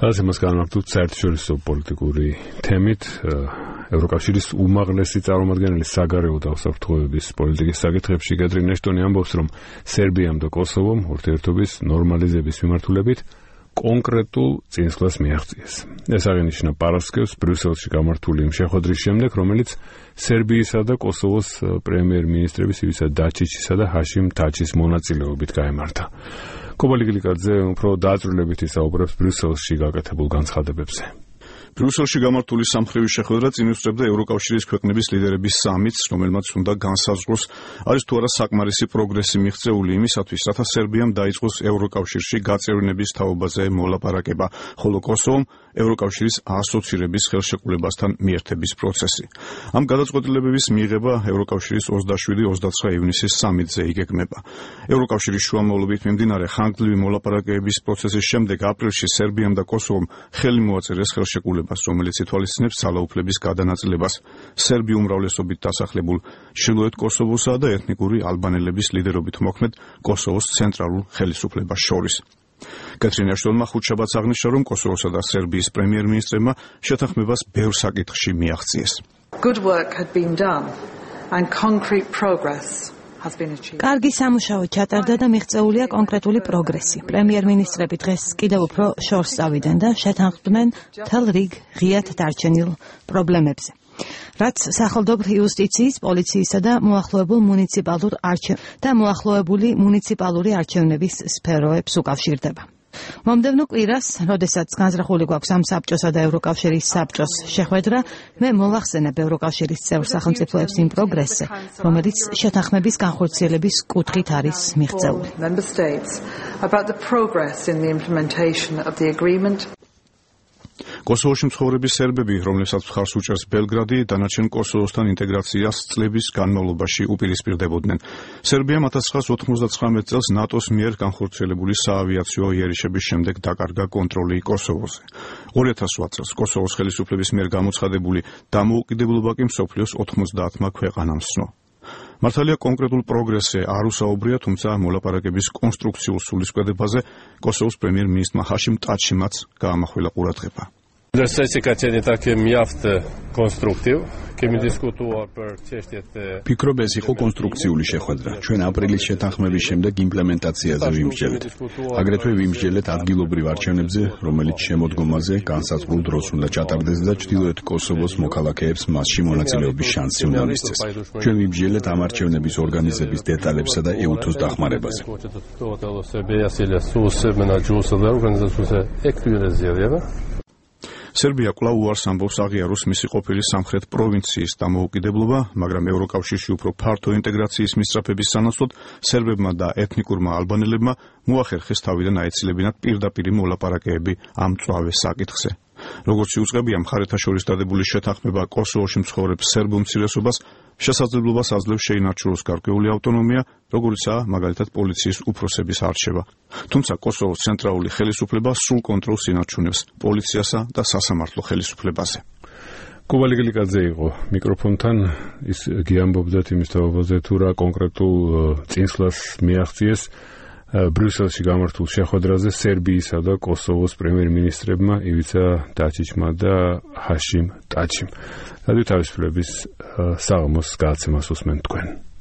ყველაზე მას განმარტოთ საერთაშორისო პოლიტიკური თემით ევროკავშირის უმაღლესი წარმომადგენელი საგარეო და უსაფრთხოების პოლიტიკის საკითხებში კეთრინ ეშტონი ამბობს, რომ სერბიამ და კოსოვომ ურთიერთობის ნორმალიზების მიმართულებით კონკრეტულ წინსვლას მიაღწიეს. ეს აღინიშნა პარასკევს ბრიუსელში გამართული იმ შეხვედრის შემდეგ, რომელიც სერბიისა და კოსოვოს პრემიერ-მინისტრების ივისა დაჩიჩისა და ჰაშიმ თაჩის მონაწილეობით გაემართა. კობალი გლიკაძე უფრო დააწვრილებით ისაუბრებს ბრიუსელში გაკეთებულ განცხადებებზე. ბრიუსელში გამართული სამხრივი შეხვედრა წინუსწრებდა ევროკავშირის ქვეყნების ლიდერების სამიტს, რომელმაც უნდა განსაზღვროს, არის თუ არა საკმარისი პროგრესი მიღწეული იმისათვის, რათა სერბიამ დაიწყოს ევროკავშირში გაწევრიანების თაობაზე მოლაპარაკება, ხოლო კოსოვომ ევროკავშირის ასოცირების ხელშეკრულებასთან მიერთების პროცესი. ამ გადაწყვეტილებების მიღება ევროკავშირის 27-29 ივნისის სამიტზე იგეგმება. ევროკავშირის შუამავლობით მიმდინარე ხანგრძლივი მოლაპარაკებების პროცესის შემდეგ აპრილში სერბიამ და კოსოვომ ხელი მოაწერეს ხელშეკრულებას, რომელიც ითვალისწინებს ძალაუფლების გადანაწილებას სერბი უმრავლესობით დასახლებულ ჩრდილოეთ კოსოვოსა და ეთნიკური ალბანელების ლიდერობით მოქმედ კოსოვოს ცენტრალურ ხელისუფლებას შორის. კეთრინ ეშტონმა ხუთშაბათს აღნიშნა, რომ კოსოვოსა და სერბიის პრემიერ-მინისტრებმა შეთანხმებას ბევრ საკითხში მიაღწიეს. Good work had been done and concrete progress has been achieved. კარგი სამუშაო ჩატარდა და მიღწეულია კონკრეტული პროგრესი. პრემიერ-მინისტრები დღეს კიდევ უფრო შორს წავიდნენ და შეთანხმდნენ მთელ რიგ ღიად დარჩენილ პრობლემებზე. რაც სახელმწიფო იუსტიციის, პოლიციისა და მოახლოებული მუნიციპალური არჩევნების სფეროებს უკავშირდება. მომდევნო კვირას, როდესაც განზრახული გვაქვს ამ საბჭოსა და ევროკავშირის საბჭოს შეხვედრა, მე მოვახსენებ ევროკავშირის წევრ სახელმწიფოებს იმ პროგრესზე, რომელიც შეთანხმების განხორციელების კუთხით არის მიღწეული. კოსოვოში მცხოვრები სერბები, რომლებსაც მხარს უჭერს ბელგრადი, დანარჩენ კოსოვოსთან ინტეგრაციას წლების განმავლობაში უპირისპირდებოდნენ. სერბიამ 1999 წელს ნატოს მიერ განხორციელებული საავიაციო იერიშების შემდეგ დაკარგა კონტროლი კოსოვოზე. 2008 წელს კოსოვოს ხელისუფლების მიერ გამოცხადებული დამოუკიდებლობა კი მსოფლიოს 90-მა ქვეყანამ სცნო. მართალია კონკრეტულ პროგრესზე არ უსაუბრია, თუმცა მოლაპარაკების კონსტრუქციულ სულისკვეთებაზე კოსოვოს პრემიერ-მინისტრმა ჰაშიმ ტაჩიმაც გაამახვილა ყურადღება. ფიქრობ, ეს იყო კონსტრუქციული შეხვედრა. ჩვენ აპრილის შეთანხმების შემდეგ იმპლემენტაციაზე ვიმსჯელეთ. აგრეთვე ვიმსჯელეთ ადგილობრივ არჩევნებზე, რომელიც შემოდგომაზე განსაზღვრულ დროს უნდა ჩატარდეს და ჩრდილოეთ კოსოვოს მოქალაქეებს მასში მონაწილეობის შანსი უნდა მისცეს. ჩვენ ვიმსჯელეთ ამ არჩევნების ორგანიზების დეტალებსა და ეუთოს დახმარებაზე. სერბია კვლავ უარს ამბობს აღიაროს მისი ყოფილი სამხრეთ პროვინციის დამოუკიდებლობა, მაგრამ ევროკავშირში უფრო ფართო ინტეგრაციის მისწრაფების სანაცვლოდ სერბებმა და ეთნიკურმა ალბანელებმა მოახერხეს თავიდან აეცილებინათ პირდაპირი მოლაპარაკებები ამ მწვავე საკითხზე. როგორც იუწყებია, მხარეთა შორის დადებული შეთანხმება კოსოვოში მცხოვრებ სერბ უმცირესობას შესაძლებლობას აძლევს შეინარჩუნოს გარკვეული ავტონომია, როგორიცაა მაგალითად პოლიციის უფროსების არჩევა. თუმცა კოსოვოს ცენტრალური ხელისუფლება სრულ კონტროლს ინარჩუნებს პოლიციასა და სასამართლო ხელისუფლებაზე. კობალი გლიკაძე იყო მიკროფონთან, ის გიამბობდათ იმის თაობაზე, თუ რა კონკრეტულ წინსვლას მიაღწიეს ბრიუსელში გამართულ შეხვედრაზე სერბიისა და კოსოვოს პრემიერ-მინისტრებმა ივიცა დაჩიჩმა და ჰაშიმ ტაჩიმ. რადიო თავისუფლების საღამოს გადაცემას უსმენთ თქვენ.